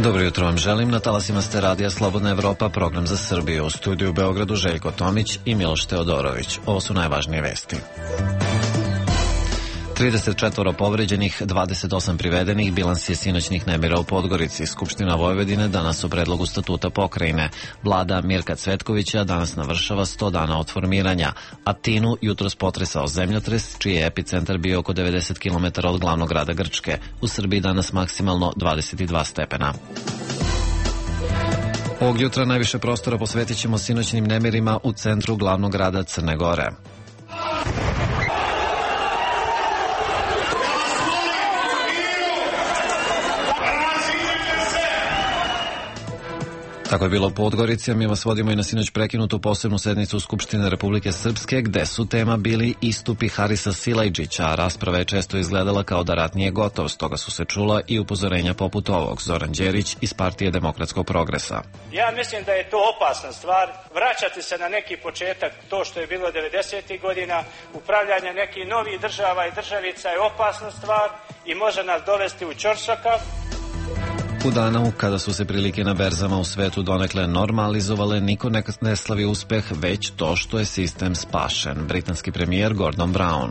Dobro jutro vam želim. Na talasima ste radija Slobodna Evropa, program za Srbiju. U studiju u Beogradu Željko Tomić i Miloš Teodorović. Ovo su najvažnije vesti. 34 povređenih, 28 privedenih, bilans je sinoćnih nemira u Podgorici. Skupština Vojvodine danas u predlogu statuta pokrajine. Vlada Mirka Cvetkovića danas navršava 100 dana od formiranja. Atinu jutros potresao zemljotres, čiji je epicentar bio oko 90 km od glavnog grada Grčke. U Srbiji danas maksimalno 22 stepena. Ovog jutra najviše prostora posvetit ćemo sinoćnim nemirima u centru glavnog grada Crne Gore. Tako je bilo u Podgorici, a mi vas vodimo i na sinoć prekinutu posebnu sednicu Skupštine Republike Srpske, gde su tema bili istupi Harisa Silajdžića, a rasprava je često izgledala kao da rat nije gotov, stoga su se čula i upozorenja poput ovog. Zoran Đerić iz Partije demokratskog progresa. Ja mislim da je to opasna stvar, vraćati se na neki početak, to što je bilo 90. godina, upravljanje nekih novih država i državica je opasna stvar i može nas dovesti u ćorsokak. U danu kada su se prilike na berzama u svetu donekle normalizovale, niko ne slavi uspeh, već to što je sistem spašen. Britanski premijer Gordon Brown.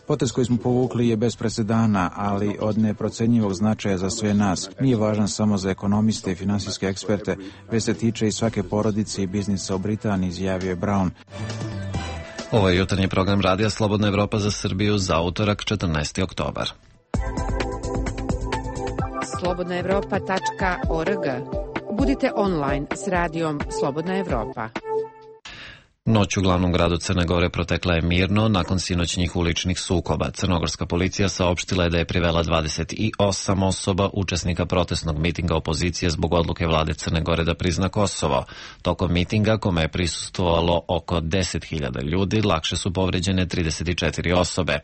Potez koji smo povukli je bez presedana, ali od neprocenjivog značaja za sve nas. Nije važan samo za ekonomiste i finansijske eksperte, već se tiče i svake porodice i biznisa u Britaniji, izjavio je Brown. Ovo je jutarnji program radija Slobodna Evropa za Srbiju za utorak 14. oktobar. slobodnaevropa.org. Budite online s radijom Slobodna Evropa. Noć u glavnom gradu Crne Gore protekla je mirno nakon sinoćnih uličnih sukoba. Crnogorska policija saopštila je da je privela 28 osoba učesnika protestnog mitinga opozicije zbog odluke vlade Crne Gore da prizna Kosovo. Tokom mitinga, kome je prisustvovalo oko 10.000 ljudi, lakše su povređene 34 osobe.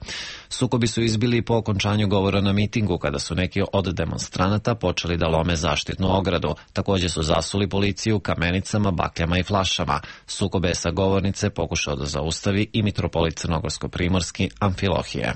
Sukobi su izbili po okončanju govora na mitingu, kada su neki od demonstranata počeli da lome zaštitnu ogradu. Također su zasuli policiju kamenicama, bakljama i flašama. Sukobe sa govornice pokušao da zaustavi i mitropolit Crnogorsko-primorski Amfilohije.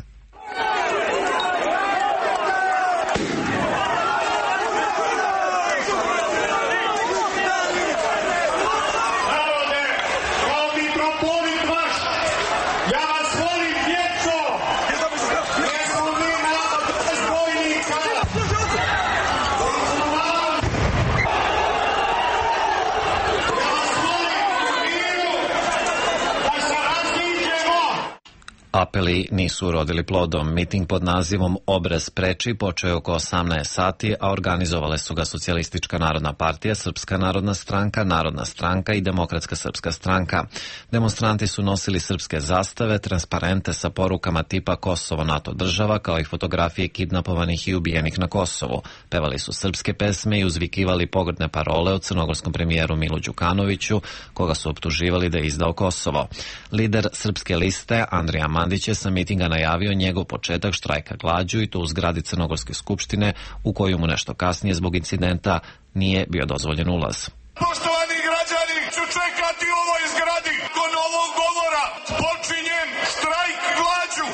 Apeli nisu urodili plodom. Miting pod nazivom Obraz preči počeo je oko 18 sati, a organizovale su ga Socijalistička narodna partija, Srpska narodna stranka i Demokratska srpska stranka. Demonstranti su nosili srpske zastave, transparente sa porukama tipa Kosovo NATO država, kao i fotografije kidnapovanih i ubijenih na Kosovu. Pevali su srpske pesme i uzvikivali pogrdne parole o crnogorskom premijeru Milu Đukanoviću, koga su optuživali da je izdao Kosovo. Lider Srpske liste, Andrija Mandić, je sa mitinga najavio njegov početak štrajka glađu i to u zgradi Crnogorske skupštine, u koju mu nešto kasnije zbog incidenta nije bio dozvoljen ulaz. Poštovani građani, ću čekati u ovoj zgradi do novog govora. Počinjem štrajk glađu.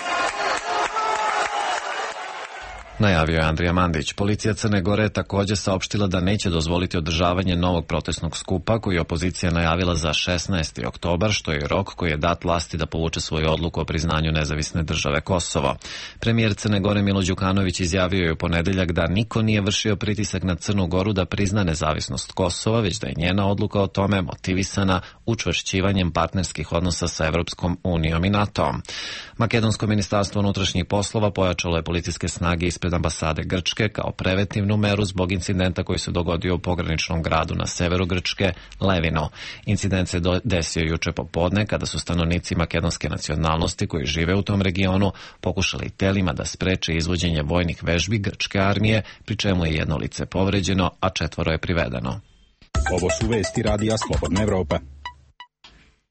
Najavio je Andrija Mandić. Policija Crne Gore je također saopštila da neće dozvoliti održavanje novog protestnog skupa koji je opozicija najavila za 16. oktobar, što je rok koji je dat vlasti da povuče svoju odluku o priznanju nezavisne države Kosovo. Premijer Crne Gore Milo Đukanović izjavio je u ponedeljak da niko nije vršio pritisak na Crnu Goru da prizna nezavisnost Kosova, već da je njena odluka o tome motivisana učvršćivanjem partnerskih odnosa sa Evropskom unijom i NATO-om. Makedonsko ministarstvo unutrašnjih poslova pojačalo je policijske snage ispred ambasade Grčke kao preventivnu meru zbog incidenta koji se dogodio u pograničnom gradu na severu Grčke, Levinu. Incident se desio juče popodne kada su stanovnici makedonske nacionalnosti koji žive u tom regionu pokušali telima da spreče izvođenje vojnih vežbi grčke armije, pri čemu je 1 lice povređeno, a 4 je privedeno. Ovo su vesti radija Slobodna Evropa.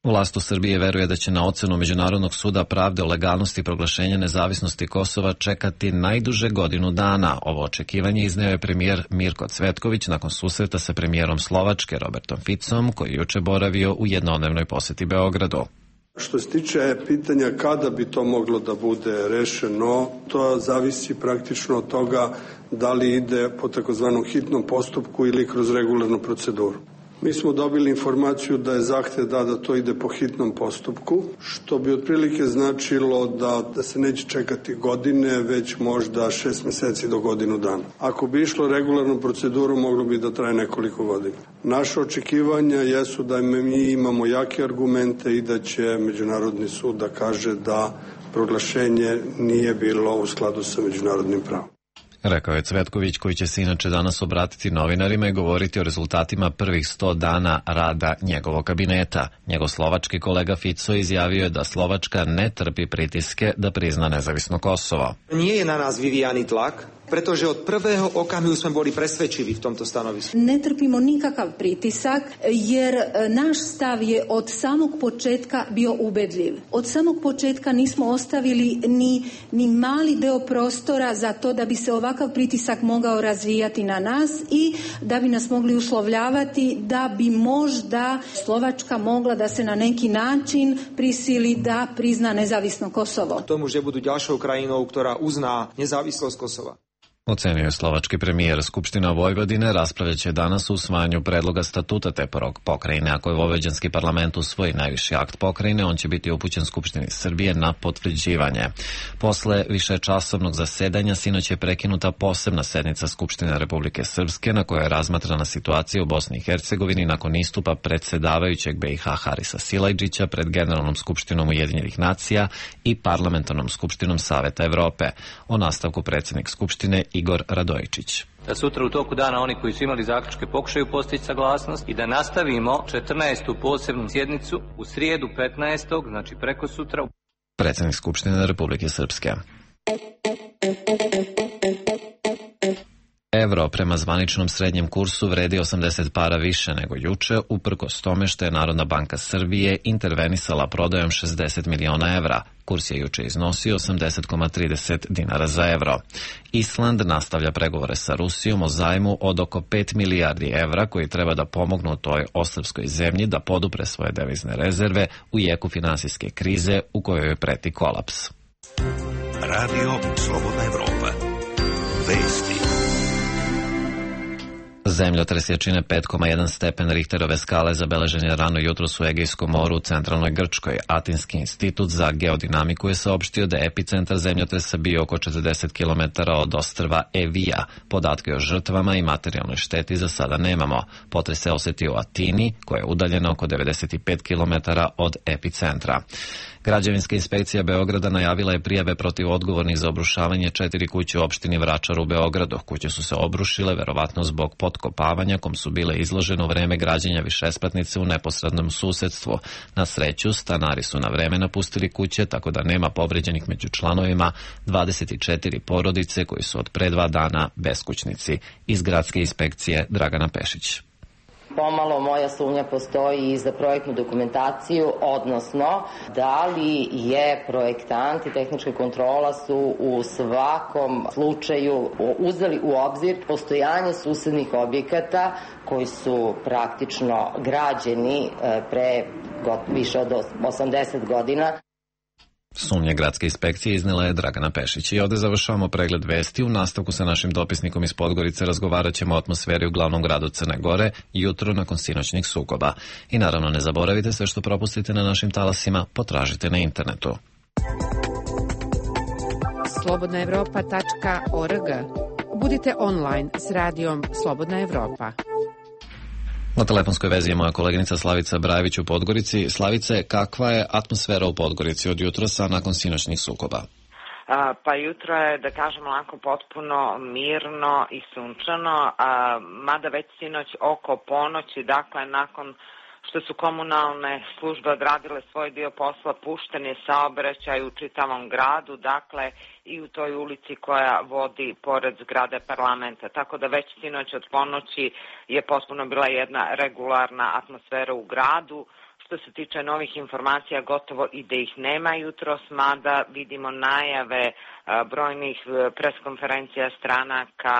Vlast u Srbiji veruje da će na ocenu Međunarodnog suda pravde o legalnosti proglašenja nezavisnosti Kosova čekati najduže godinu dana. Ovo očekivanje izneo je premijer Mirko Cvetković nakon susreta sa premijerom Slovačke Robertom Ficom, koji je juče boravio u jednodnevnoj poseti Beogradu. Što se tiče pitanja kada bi to moglo da bude rešeno, to zavisi praktično od toga da li ide po takozvanom hitnom postupku ili kroz regularnu proceduru. Mi smo dobili informaciju da je zahtev da to ide po hitnom postupku, što bi otprilike značilo da se neće čekati godine, već možda 6 meseci do godinu dana. Ako bi išlo regularnu proceduru, moglo bi da traje nekoliko godina. Naše očekivanja jesu da mi imamo jake argumente i da će Međunarodni sud da kaže da proglašenje nije bilo u skladu sa međunarodnim pravom. Rekao je Cvetković, koji će se inače danas obratiti novinarima i govoriti o rezultatima prvih 100 dana rada njegovog kabineta. Njegov slovački kolega Fico izjavio je da Slovačka ne trpi pritiske da prizna nezavisno Kosovo. Nije je na nas vyvíjaný tlak, pretože od prvého okamihu sme boli presvedčiví v tomto stanovisku. Ne trpimo nikakav pritisak, jer naš stav je od samog početka bio ubedljiv. Od samog početka nismo ostavili ni mali deo prostora za to da bi se ovakav pritisak mogao razvijati na nas i da bi nas mogli uslovljavati da bi možda Slovačka mogla da se na neki način prisili da prizna nezavisno Kosovo. Tomu, že budu ďalšou krajinou, ktorá uzná nezávislosť Kosova. Ocenio je slovački premijer. Skupština Vojvodine raspravljaće danas o usvajanju predloga statuta te pokrajine. Ako je vojvođanski parlament usvoji najviši akt pokrajine, on će biti upućen Skupštini Srbije na potvrđivanje. Posle višečasovnog zasedanja sinoć je prekinuta posebna sednica Skupštine Republike Srpske na kojoj je razmatrana situacija u Bosni i Hercegovini nakon istupa predsedavajućeg BiH Harisa Silajdžića pred Generalnom skupštinom Ujedinjenih nacija i Parlamentarnom skupštinom Saveta Evrope. O nastavku predsjednik Skupštine Igor Radojičić. Da sutra u toku dana oni koji su imali zaključke pokušaju postići saglasnost i da nastavimo 14. posebnu sjednicu u srijedu 15. znači preko sutra. Predsjednik Skupštine Republike Srpske. Evro prema zvaničnom srednjem kursu vredi 80 para više nego juče, uprkos tome što je Narodna banka Srbije intervenisala prodajom 60 miliona evra. Kurs je juče iznosio 80,30 dinara za evro. Island nastavlja pregovore sa Rusijom o zajmu od oko 5 milijardi evra koji treba da pomognu toj ostrvskoj zemlji da podupre svoje devizne rezerve u jeku finansijske krize u kojoj preti kolaps. Radio Slobodna Evropa. Vesti. Zemljotres jačine 5,1 stepen Richterove skale zabeležen je rano jutros u Egejskom moru u centralnoj Grčkoj. Atinski institut za geodinamiku je saopštio da je epicentar zemljotresa bio oko 40 km od ostrva Evija. Podatke o žrtvama i materijalnoj šteti za sada nemamo. Potres se osetio u Atini, koja je udaljena oko 95 km od epicentra. Građevinska inspekcija Beograda najavila je prijave protiv odgovornih za obrušavanje 4 kuće u opštini Vračar u Beogradu. Kuće su se obrušile verovatno zbog potkopavanja kom su bile izložene u vreme građenja višespratnice u neposrednom susedstvu. Na sreću, stanari su na vreme napustili kuće, tako da nema povređenih među članovima 24 porodice koji su od pre 2 dana beskućnici. Iz gradske inspekcije Dragana Pešić. Pomalo moja sumnja postoji i za projektnu dokumentaciju, odnosno da li je projektant i tehnička kontrola su u svakom slučaju uzeli u obzir postojanje susednih objekata koji su praktično građeni pre više od 80 godina. Sumnje gradske inspekcije iznela je Dragana Pešić. I ovde završavamo pregled vesti. U nastavku sa našim dopisnikom iz Podgorice razgovarat ćemo o atmosferi u glavnom gradu Crne Gore jutro nakon sinoćnih sukoba. I naravno ne zaboravite, sve što propustite na našim talasima potražite na internetu. slobodnaevropa.org. Budite online s radijom Slobodna Evropa. Na telefonskoj vezi je moja koleginica Slavica Brajević u Podgorici. Slavice, kakva je atmosfera u Podgorici od jutrosa nakon sinoćnih sukoba? Pa jutro je, da kažem, onako potpuno mirno i sunčano, mada već sinoć oko ponoći, dakle nakon što su komunalne službe odradile svoj dio posla, pušten je saobraćaj u čitavom gradu, dakle i u toj ulici koja vodi pored zgrade parlamenta. Tako da već sinoć od ponoći je potpuno bila jedna regularna atmosfera u gradu. Što se tiče novih informacija, gotovo i da ih nema jutros, mada vidimo najave brojnih preskonferencija stranaka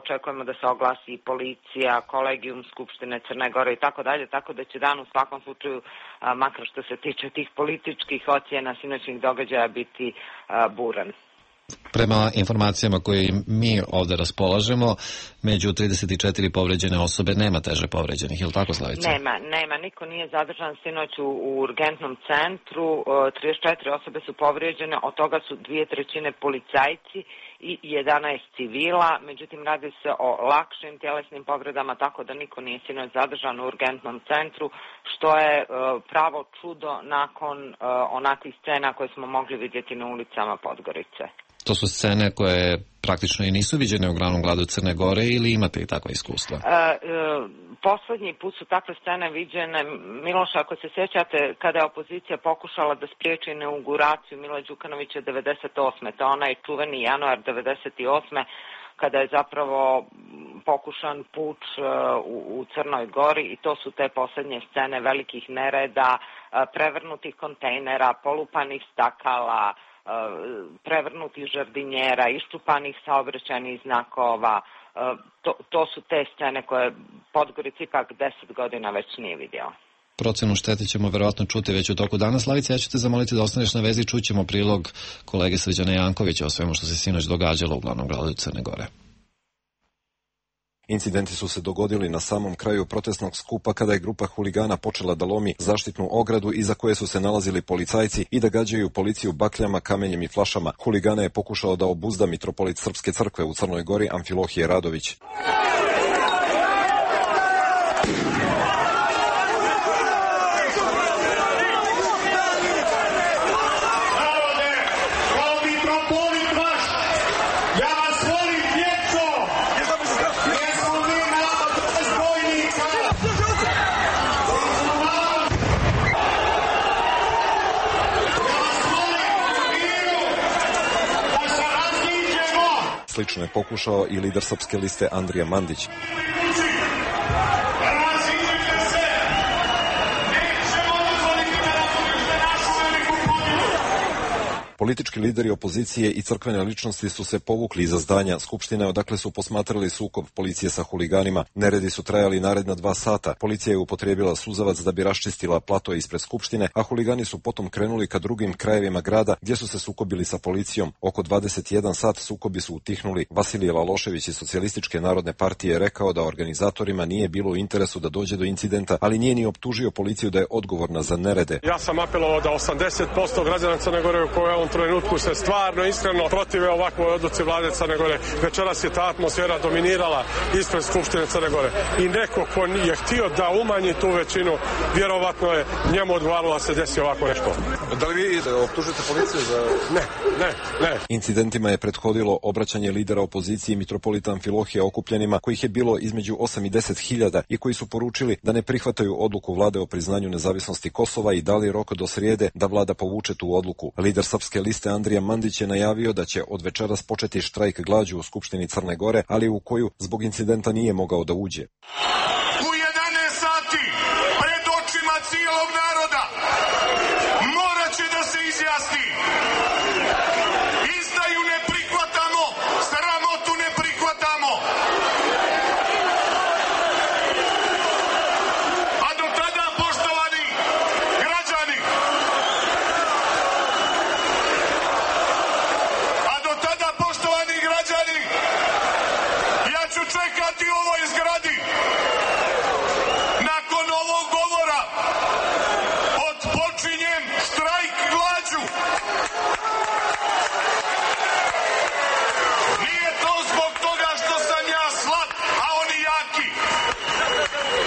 očekujemo da se oglasi i policija, kolegijum Skupštine Crne Gore i tako dalje, tako da će dan u svakom slučaju, makar što se tiče tih političkih ocjena sinoćnih događaja, biti buran. Prema informacijama koje mi ovde raspolažemo, među 34 povređene osobe nema teže povređenih, je li tako, Slavica? Nema, niko nije zadržan sinoć u urgentnom centru, 34 osobe su povređene, od toga su 2/3 policajci i 11 civila, međutim radi se o lakšim tjelesnim povredama, tako da niko nije sinoć zadržan u urgentnom centru, što je pravo čudo nakon onakvih scena koje smo mogli vidjeti na ulicama Podgorice. To su scene koje praktično i nisu viđene u glavnom gradu Crne Gore, ili imate i takva iskustva? Poslednji put su takve scene viđene, Miloša, ako se sjećate, kada je opozicija pokušala da spriječi inauguraciju Mila Đukanovića 98. To je onaj čuveni januar 98. kada je zapravo pokušan puč u Crnoj Gori, i to su te posljednje scene velikih nereda, prevrnutih kontejnera, polupanih stakala, prevrnutih žardinjera, iščupanih saobraćajnih znakova. To su te scene koje Podgorica ipak 10 godina već nije vidjela. Procenu štete ćemo verovatno čuti već u toku dana. Slavica, ja ću te zamoliti da ostaneš na vezi, čućemo prilog kolege Srđana Jankovića o svemu što se sinoć događalo u glavnom gradu Crne Gore. Incidenti su se dogodili na samom kraju protestnog skupa kada je grupa huligana počela da lomi zaštitnu ogradu iza koje su se nalazili policajci i da gađaju policiju bakljama, kamenjem i flašama. Huligana je pokušao da obuzda mitropolit Srpske crkve u Crnoj Gori Amfilohije Radović. Slično je pokušao i lider Srpske liste Andrija Mandić. Politički lideri opozicije i crkvene ličnosti su se povukli iza zdanja Skupštine, odakle su posmatrali sukob policije sa huliganima. Neredi su trajali naredna 2 sata. Policija je upotrijebila suzavac da bi raščistila plato ispred Skupštine, a huligani su potom krenuli ka drugim krajevima grada gdje su se sukobili sa policijom. Oko 21 sat sukobi su utihnuli. Vasilije Lalošević iz Socijalističke narodne partije je rekao da organizatorima nije bilo u interesu da dođe do incidenta, ali nije ni optužio policiju da je odgovorna za nerede. Ja sam apelovao da 80% građana Crne Gore u kojoj on trenutku se stvarno iskreno protive ovakvoj odluci vlade Crne Gore. Večeras je ta atmosfera dominirala ispred Skupštine Crne Gore i neko ko je htio da umanji tu većinu, vjerovatno je njemu odgovaralo da se desi ovako nešto. Da li vi optužite policiju za... Ne. Incidentima je prethodilo obraćanje lidera opozicije mitropolita Amfilohija okupljenima, kojih je bilo između 8 i 10 hiljada i koji su poručili da ne prihvataju odluku vlade o priznanju nezavisnosti Kosova i dali rok do srijede da vlada povuče tu odluku. Lider Srpske liste Andrija Mandić je najavio da će od večeras početi štrajk glađu u Skupštini Crne Gore, ali u koju zbog incidenta nije mogao da uđe. U 11 sati pred očima cijelog naroda morat će da se izjasni. Izdaju ne prihvatamo, sramotu ne prihvatamo. A do tada, poštovani građani, ja ću čekati u ovoj zgradi nakon ovog govora. Odpočinjem štrajk glađu. Nije to zbog toga što sam ja slab, a oni jaki,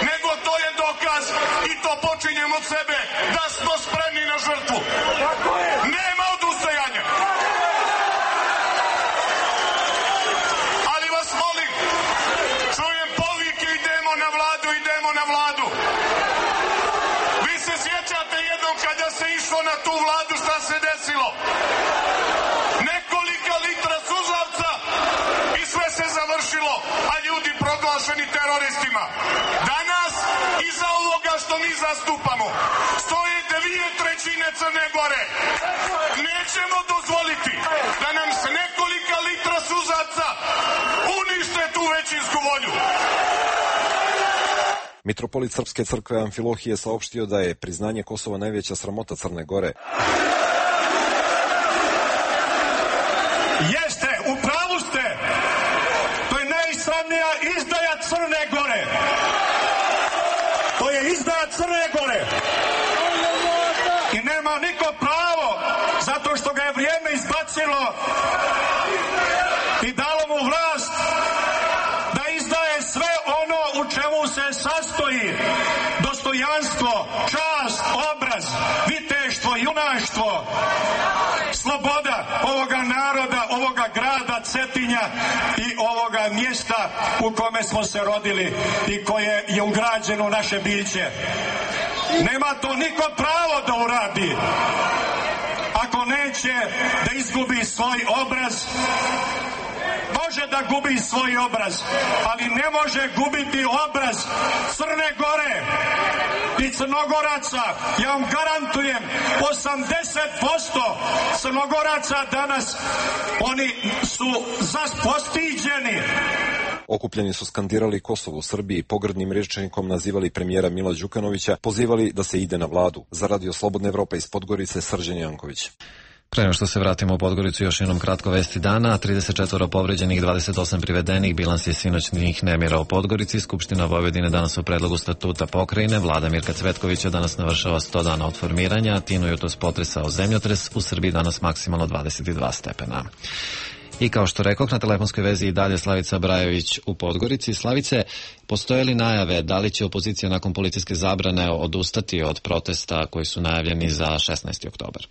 nego to je dokaz, i to počinjem od sebe, da smo spremni na žrtvu. Nema odustajanja. Čujem povike, idemo na vladu, idemo na vladu. Vi se sjećate jednom kada se išlo na tu vladu šta se desilo? Nekolika litra suzavca i sve se završilo, a ljudi proglašeni teroristima. Danas, iza ovoga što mi zastupamo, stoje 2/3 Crne Gore. Nećemo dozvoliti da nam se nekolika litra suzavca unište Mitropolit Srpske crkve Amfilohije saopštio da je priznanje Kosova najveća sramota Crne Gore. Jeste, u pravu ste. To je najsramnija izdaja Crne Gore. To je izdaja Crne Gore. I nema niko pravo, zato što ga je vrijeme izbacilo i dalo mu vlast, da izdaje sve ono u čemu se sastoji dostojanstvo, čast, obraz, viteštvo, junaštvo, sloboda ovoga naroda, ovoga grada Cetinja i ovoga mjesta u kome smo se rodili i koje je ugrađeno u naše biće. Nema to niko pravo da uradi ako neće da izgubi svoj obraz. Može da gubi svoj obraz, ali ne može gubiti obraz Crne Gore i Crnogoraca. Ja vam garantujem, 80% Crnogoraca danas, oni su postiđeni. Okupljeni su skandirali Kosovo u Srbiji, pogrdnim rečenikom nazivali premijera Mila Đukanovića, pozivali da se ide na vladu. Za Radio Slobodna Evropa iz Podgorice, Srđan Janković. Pre nego što se vratimo u Podgoricu, još jednom kratko vesti dana. 34 povređenih, 28 privedenih, bilans je sinoćnih nemira u Podgorici. Skupština Vojvodine danas u predlogu statuta pokrajine. Vlada Mirka Cvetkovića danas navršava 100 dana od formiranja. Tinu jutros potresao zemljotres. U Srbiji danas maksimalno 22 stepena. I kao što rekoh, na telefonskoj vezi i dalje Slavica Brajović u Podgorici. Slavice, postoje li najave da li će opozicija nakon policijske zabrane odustati od protesta koji su najavljeni za 16. oktobar?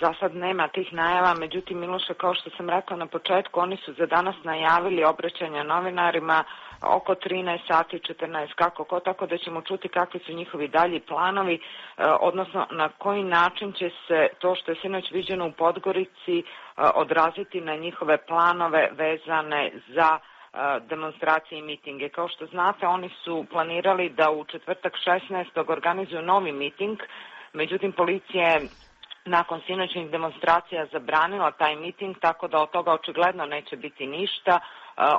Za sad nema tih najava, međutim, Miloše, kao što sam rekla na početku, oni su za danas najavili obraćanje novinarima oko 13 sati, 14, kako, tako da ćemo čuti kakvi su njihovi dalji planovi, odnosno na koji način će se to što je sinoć viđeno u Podgorici odraziti na njihove planove vezane za demonstracije i mitinge. Kao što znate, oni su planirali da u četvrtak 16. organizuju novi miting, međutim, policija je nakon sinoćnih demonstracija zabranila taj miting, tako da od toga očigledno neće biti ništa.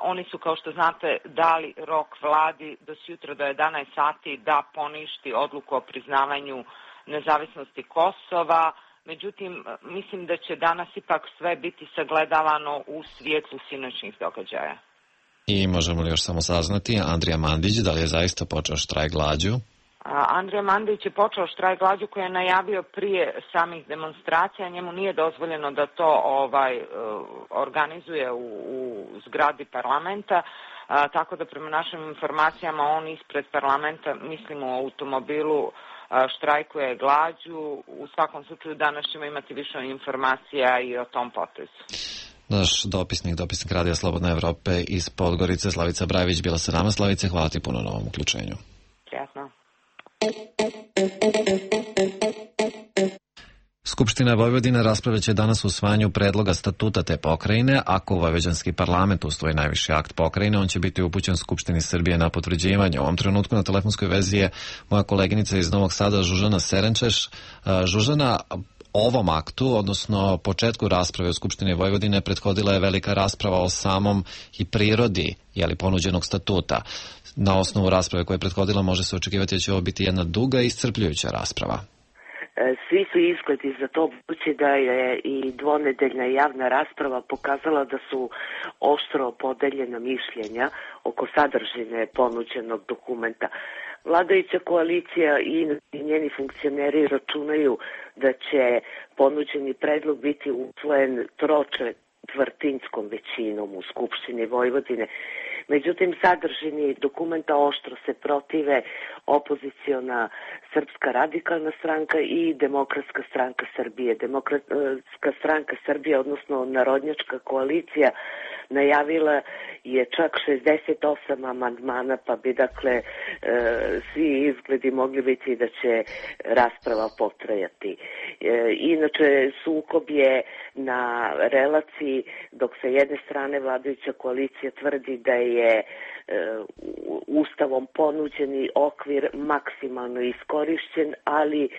Oni su, kao što znate, dali rok vladi do sutra do 11 sati da poništi odluku o priznavanju nezavisnosti Kosova. Međutim, mislim da će danas ipak sve biti sagledavano u svijetlu sinoćnih događaja. I možemo li još samo saznati, Andrija Mandić, da li je zaista počeo štrajk glađu? Andrija Mandić je počeo štrajk glađu koji je najavio prije samih demonstracija. Njemu nije dozvoljeno da to organizuje u zgradi parlamenta, tako da prema našim informacijama on ispred parlamenta, mislim u automobilu, štrajkuje glađu. U svakom slučaju danas ćemo imati više informacija i o tom potezu. Naš dopisnik Radija Slobodna Evrope iz Podgorice, Slavica Brajović, bila sa nama. Slavice, hvala ti puno na ovom uključenju. Prijatno. Skupština Vojvodine raspravljaće će danas o usvajanju predloga statuta te pokrajine. Ako vojvođanski parlament usvoji najviši akt pokrajine, on će biti upućen Skupštini Srbije na potvrđivanje. U ovom trenutku na telefonskoj vezi je moja koleginica iz Novog Sada, Žužana Serenčeš. Žužana, ovom aktu, odnosno početku rasprave u Skupštini Vojvodine, prethodila je velika rasprava o samom i prirodi ponuđenog statuta. Na osnovu rasprave koja je prethodila može se očekivati da će ovo biti jedna duga i iscrpljujuća rasprava. Svi su izgledi za to, budući da je i dvonedeljna javna rasprava pokazala da su oštro podeljena mišljenja oko sadržine ponuđenog dokumenta. Vladajuća koalicija i njeni funkcioneri računaju da će ponuđeni predlog biti usvojen tročetvrtinskom većinom u Skupštini Vojvodine. Međutim, sadržini dokumenta oštro se protive opoziciona Srpska radikalna stranka i Demokratska stranka Srbije. Demokratska stranka Srbije, odnosno Narodnjačka koalicija, najavila je čak 68 amandmana, pa bi dakle svi izgledi mogli biti da će rasprava potrajati. Inače, sukob je na relaciji, dok sa jedne strane vladajuća koalicija tvrdi da je Ustavom ponuđeni okvir maksimalno iskorišćen, ali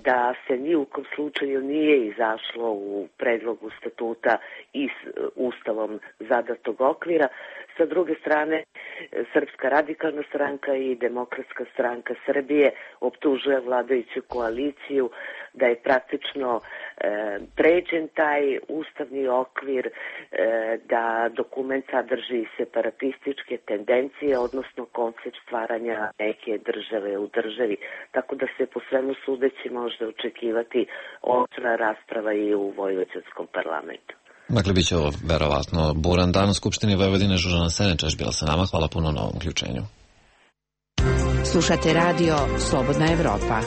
da se ni u kom slučaju nije izašlo u predlogu statuta iz Ustavom zadatog okvira. S Sa druge strane, Srpska radikalna stranka i Demokratska stranka Srbije optužuje vladajuću koaliciju da je praktično pređen taj ustavni okvir, da dokument sadrži separatističke tendencije, odnosno koncept stvaranja neke države u državi. Tako da se po svemu sudeći može očekivati oštra rasprava i u vojvođanskom parlamentu. Dakle, bit će ovo verovatno buran dan u Skupštini Vojvodine. Žužana Senečeš bila sa nama. Hvala puno na ovom uključenju. Slušate radio Slobodna Evropa.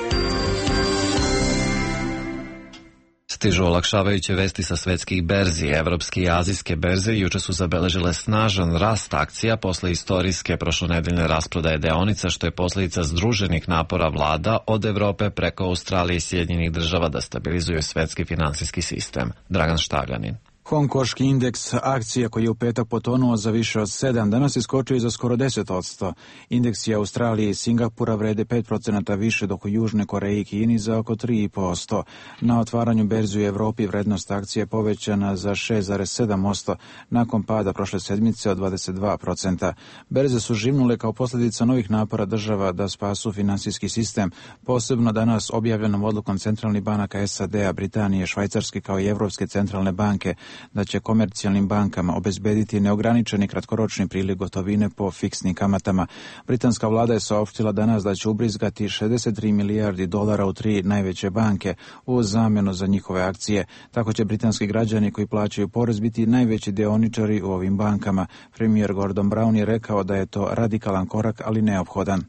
Stižu olakšavajuće vesti sa svetskih berzi. Evropske i azijske berze juče su zabeležile snažan rast akcija posle istorijske prošlonedeljne rasprodaje deonica, što je posljedica združenih napora vlada od Evrope preko Australije i Sjedinjenih država da stabilizuju svetski finansijski sistem. Dragan Štavljanin. Hongkonški indeks akcija koji je u petak potonuo za više od 7, danas iskočio za skoro 10%. Indeksi Australije i Singapura vrede 5% više, dok u Južnoj Koreji i Kini za oko 3,5%. Na otvaranju berzi u Evropi vrednost akcije je povećana za 6,7% nakon pada prošle sedmice od 22%. Berze su živnule kao posljedica novih napora država da spasu finansijski sistem, posebno danas objavljenom odlukom centralnih banaka SAD-a, Britanije, Švajcarske kao i Evropske centralne banke da će komercijalnim bankama obezbediti neograničeni kratkoročni priliv gotovine po fiksnim kamatama. Britanska vlada je saopštila danas da će ubrizgati 63 milijardi dolara u 3 najveće banke u zamjenu za njihove akcije. Tako će britanski građani koji plaćaju porez biti najveći dioničari u ovim bankama. Premijer Gordon Brown je rekao da je to radikalan korak, ali neophodan.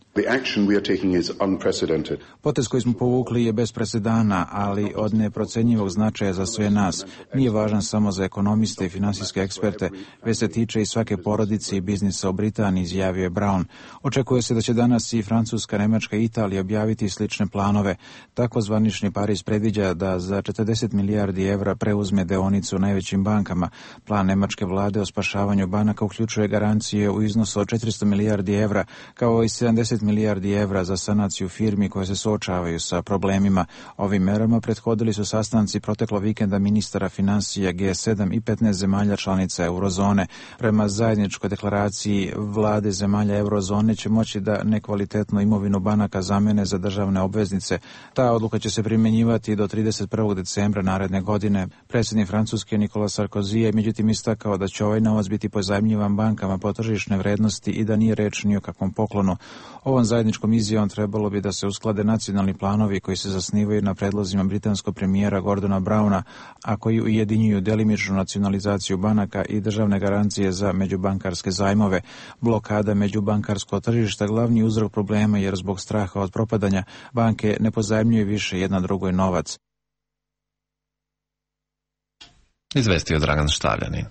Potez koji smo povukli je bez presedana, ali od neprocenjivog značaja za sve nas. Nije važan samo za ekonomiste i finansijske eksperte, već se tiče i svake porodice i biznisa u Britaniji, izjavio je Brown. Očekuje se da će danas i Francuska, Nemačka i Italija objaviti slične planove. Tako zvanični Pariz predviđa da za 40 milijardi evra preuzme deonicu u najvećim bankama. Plan nemačke vlade o spašavanju banaka uključuje garancije u iznosu od 400 milijardi evra, kao i 70 milijardi evra za sanaciju firmi koje se suočavaju sa problemima. Ovim merama prethodili su sastanci proteklo vikenda ministara financija G7 i 15 zemalja članica eurozone. Prema zajedničkoj deklaraciji vlade zemalja eurozone će moći da nekvalitetnu imovinu banaka zamene za državne obveznice. Ta odluka će se primjenjivati do 31. decembra naredne godine. Predsjednik Francuske Nicolas Sarkozy je međutim istakao da će ovaj novac biti pozajmljivan bankama po tržišne vrednosti i da nije reč ni o kakvom poklonu. Ovom zajedničkom izjavom trebalo bi da se usklade nacionalni planovi koji se zasnivaju na predlozima britanskog premijera Gordona Browna, a koji ujedinjuju delimičnu nacionalizaciju banaka i državne garancije za međubankarske zajmove. Blokada međubankarskog tržišta glavni uzrok problema jer zbog straha od propadanja banke ne pozajmljuju više jedna drugoj novac. Izvestio Dragan Štavljanin.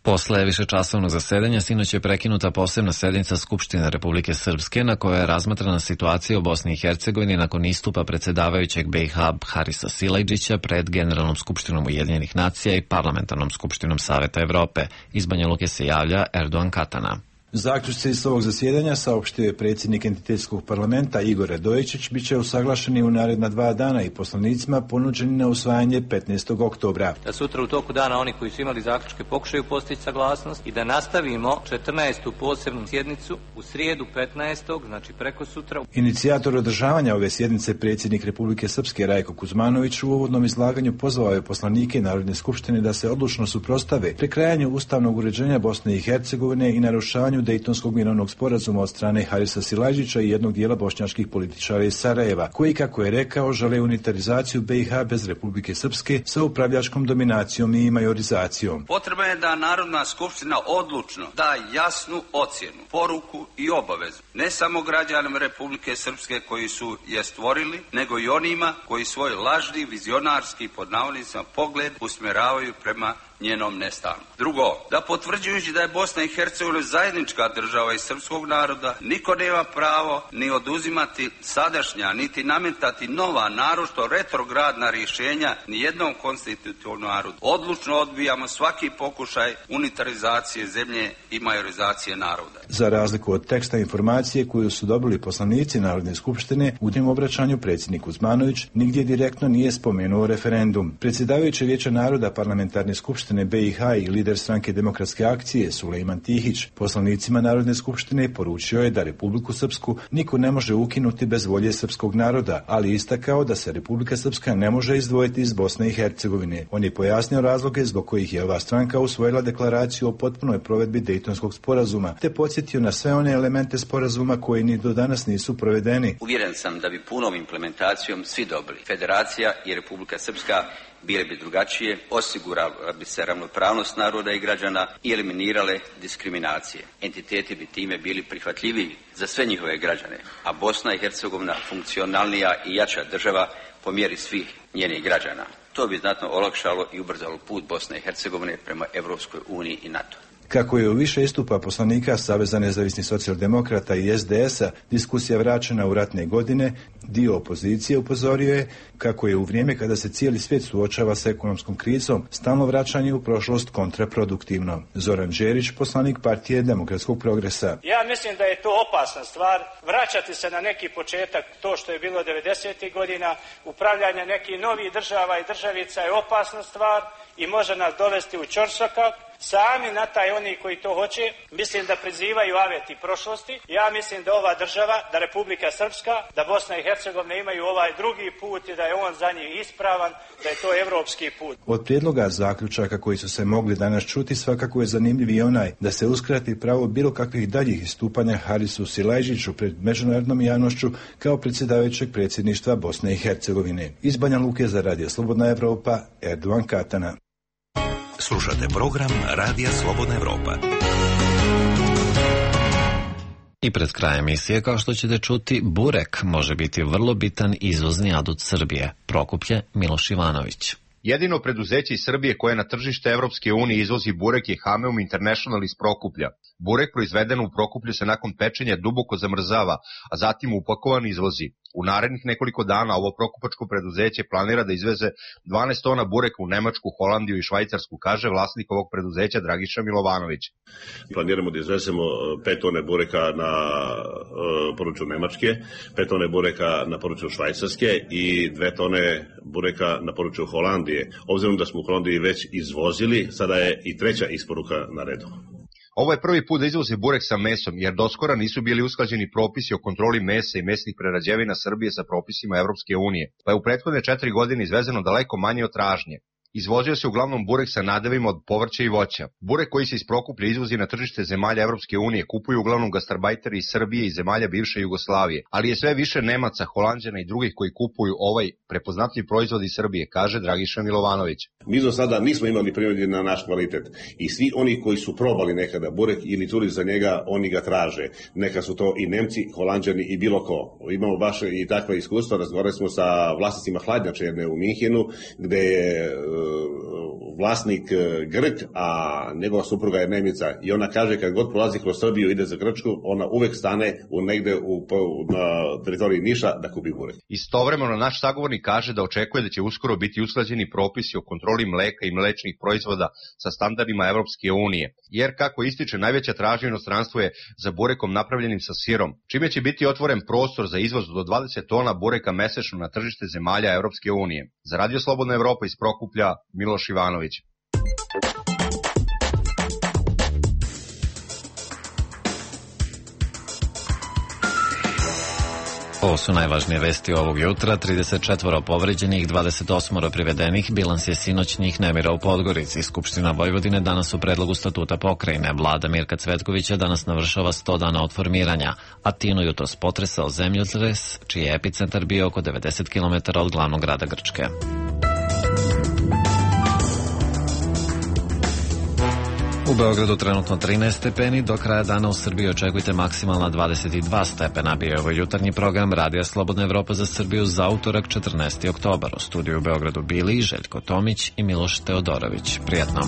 Posle višečasovnog zasedanja sinoć je prekinuta posebna sednica Skupštine Republike Srpske na kojoj je razmatrana situacija u Bosni i Hercegovini nakon istupa predsjedavajućeg BiH Harisa Silajdžića pred Generalnom skupštinom Ujedinjenih nacija i Parlamentarnom skupštinom Saveta Evrope. Iz Banja Luke se javlja Erdogan Katana. Zaključci iz ovog zasjedanja, saopštio je predsjednik Entitetskog parlamenta Igor Radojičić, bit će usaglašeni u naredna 2 dana i poslanicima ponuđeni na usvajanje 15. oktobra. Da sutra u toku dana oni koji su imali zaključke pokušaju postići saglasnost i da nastavimo 14. posebnu sjednicu u srijedu 15. znači preko sutra. Inicijator održavanja ove sjednice, predsjednik Republike Srpske Rajko Kuzmanović, u uvodnom izlaganju pozvao je poslanike Narodne skupštine da se odlučno suprotstave prekrajanju ustavnog uređenja Bosne i Hercegovine i narušavanju Dejtonskog mirovnog sporazuma od strane Harisa Silajdžića i jednog dijela bošnjačkih političara iz Sarajeva, koji, kako je rekao, žele unitarizaciju BiH bez Republike Srpske sa upravljačkom dominacijom i majorizacijom. Potrebno je da Narodna skupština odlučno da jasnu ocjenu, poruku i obavezu ne samo građanima Republike Srpske koji su je stvorili, nego i onima koji svoj lažni, vizionarski pod navodnicima pogled usmjeravaju prema njenom nestanku. Drugo, da potvrđujući da je Bosna i Hercegovina zajednička država i srpskog naroda, niko nema pravo ni oduzimati sadašnja, niti nametati nova, naročito retrogradna rješenja ni jednom konstitutivnom narodu. Odlučno odbijamo svaki pokušaj unitarizacije zemlje i majorizacije naroda. Za razliku od teksta informacije koju su dobili poslanici Narodne skupštine, u njem obraćanju predsjednik Kuzmanović nigdje direktno nije spomenuo referendum. Predsjedavajući Vijeća naroda Parlamentarne skupštine BiH i lider stranke Demokratske akcije Sulejman Tihić poslanicima Narodne skupštine poručio je da Republiku Srpsku niko ne može ukinuti bez volje srpskog naroda, ali istakao da se Republika Srpska ne može izdvojiti iz Bosne i Hercegovine. On je pojasnio razloge zbog kojih je ova stranka usvojila deklaraciju o potpunoj provedbi Dejtonskog sporazuma, te podsjetio na sve one elemente sporazuma koji ni do danas nisu provedeni. Uvjeren sam da bi punom implementacijom svi dobili. Federacija i Republika Srpska bile bi drugačije, osigurala bi se ravnopravnost naroda i građana i eliminirale diskriminacije. Entiteti bi time bili prihvatljiviji za sve njihove građane, a Bosna i Hercegovina funkcionalnija i jača država po mjeri svih njenih građana. To bi znatno olakšalo i ubrzalo put Bosne i Hercegovine prema Evropskoj uniji i NATO. Kako je u više istupa poslanika Saveza nezavisnih socijaldemokrata i SDS-a diskusija vraćena u ratne godine, dio opozicije upozorio je kako je u vrijeme kada se cijeli svijet suočava sa ekonomskom krizom, stalno vraćanje u prošlost kontraproduktivno. Zoran Đerić, poslanik Partije demokratskog progresa. Ja mislim da je to opasna stvar, vraćati se na neki početak, to što je bilo 90. godina, upravljanje nekih novih država i državica je opasna stvar i može nas dovesti u ćorsokak. Sami na taj oni koji to hoće, mislim da prizivaju aveti prošlosti. Ja mislim da ova država, da Republika Srpska, da Bosna i Hercegovina imaju ovaj drugi put i da je on za njih ispravan, da je to evropski put. Od prijedloga zaključaka koji su se mogli danas čuti svakako je zanimljiv i onaj da se uskrati pravo bilo kakvih daljih istupanja Harisu Silajđiću pred međunarodnom javnošću kao predsjedavajućeg predsjedništva Bosne i Hercegovine. Iz Banja Luke za Radio Slobodna Evropa, Erdovan Katana. Slušate program Radija Slobodna Evropa. I pred krajem emisije, kao što ćete čuti, burek može biti vrlo bitan izvozni adut Srbije. Prokuplje Miloš Ivanović. Jedino preduzeće iz Srbije koje na tržište Evropske unije izvozi burek je Hameum International iz Prokuplja. Burek proizveden u Prokuplju se nakon pečenja duboko zamrzava, a zatim upakovan izvozi. U narednih nekoliko dana ovo prokupačko preduzeće planira da izveze 12 tona bureka u Nemačku, Holandiju i Švajcarsku, kaže vlasnik ovog preduzeća Dragiša Milovanović. Planiramo da izvezemo 5 tone bureka na području Nemačke, 5 tone bureka na području Švajcarske i 2 tone bureka na području Holandije. Obzirom da smo u Holandiji već izvozili, sada je i treća isporuka na redu. Ovo je prvi put da izvoze burek sa mesom, jer doskora nisu bili usklađeni propisi o kontroli mesa i mesnih prerađevina Srbije sa propisima Evropske unije, pa je u prethodne 4 godine izvezeno daleko manje od tražnje. Izvozio se uglavnom burek sa nadevima od povrća i voća. Burek koji se iz Prokuplja izvozi na tržište zemalja Evropske unije kupuju uglavnom gastarbajteri iz Srbije i zemalja bivše Jugoslavije, ali je sve više Nemaca, Holanđana i drugih koji kupuju ovaj prepoznatljiv proizvod iz Srbije, kaže Dragiša Milovanović. Mi do sada nismo imali primjedbi na naš kvalitet i svi oni koji su probali nekada burek ili čuli za njega, oni ga traže. Neka su to i Nemci, Holanđani i bilo ko. Imamo baš i takva iskustva, razgovarali smo sa vlasnicima hladnjače jedne u Minhenu, gde je vlasnik Grk, a njegova supruga je Nemica i ona kaže kad god prolazi kroz Srbiju ide za Grčku, ona uvek stane negde na teritoriji Niša da kupi burek. Istovremeno naš sagovornik kaže da očekuje da će uskoro biti usklađeni propisi o kontroli mleka i mlečnih proizvoda sa standardima Evropske unije, jer kako ističe najveća tražnja u inostranstvu je za burekom napravljenim sa sirom, čime će biti otvoren prostor za izvoz do 20 tona bureka mesečno na tržište zemalja Evropske unije. Za Radio Slobodna Evropa iz Prokuplja, Miloš Ivanović. Ovo su najvažnije vesti ovog jutra. 34 povređenih, 28 privedenih. Bilans je sinoćnih nemira u Podgorici. Skupština Vojvodine danas u predlogu statuta pokrajine. Vlada Mirka Cvetkovića danas navršava 100 dana od formiranja. Atinu jutros potresao zemljotres, čiji je epicentar bio oko 90 km od glavnog grada Grčke. U Beogradu trenutno 13 stepeni, do kraja dana u Srbiji očekujte maksimalna 22 stepena. Bio je ovo jutarnji program Radija Slobodna Evropa za Srbiju za utorak 14. oktobar. U studiju u Beogradu bili Željko Tomić i Miloš Teodorović. Prijatno.